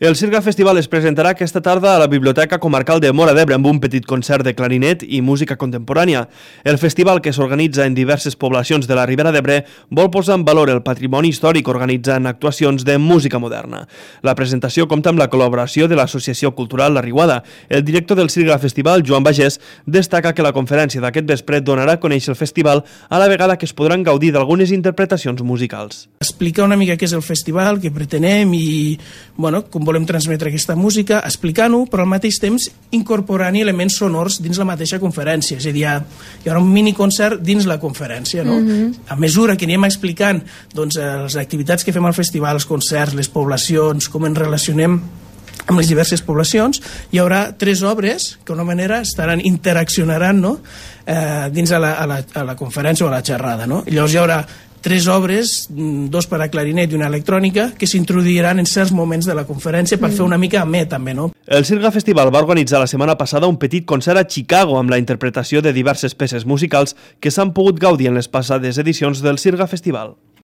El Sirga Festival es presentarà aquesta tarda a la Biblioteca Comarcal de Móra d'Ebre amb un petit concert de clarinet i música contemporània. El festival, que s'organitza en diverses poblacions de la Ribera d'Ebre, vol posar en valor el patrimoni històric organitzant actuacions de música moderna. La presentació compta amb la col·laboració de l'Associació Cultural La Riuada. El director del Sirga Festival, Joan Bagés, destaca que la conferència d'aquest vespre donarà a conèixer el festival a la vegada que es podran gaudir d'algunes interpretacions musicals. Explicar una mica què és el festival, què pretenem i com volem transmetre aquesta música, explicant-ho, però al mateix temps incorporant elements sonors dins la mateixa conferència. És a dir, hi haurà un miniconcert dins la conferència. No? A mesura que anem explicant les activitats que fem al festival, els concerts, les poblacions, com ens relacionem amb les diverses poblacions, hi haurà 3 obres que d'una manera interaccionaran dins a la conferència o a la xerrada. No? Llavors hi haurà 3 obres, 2 per a clarinet i una electrònica, que s'introduiran en certs moments de la conferència per fer una mica amè, també, no? El Sirga Festival va organitzar la setmana passada un petit concert a Chicago amb la interpretació de diverses peces musicals que s'han pogut gaudir en les passades edicions del Sirga Festival.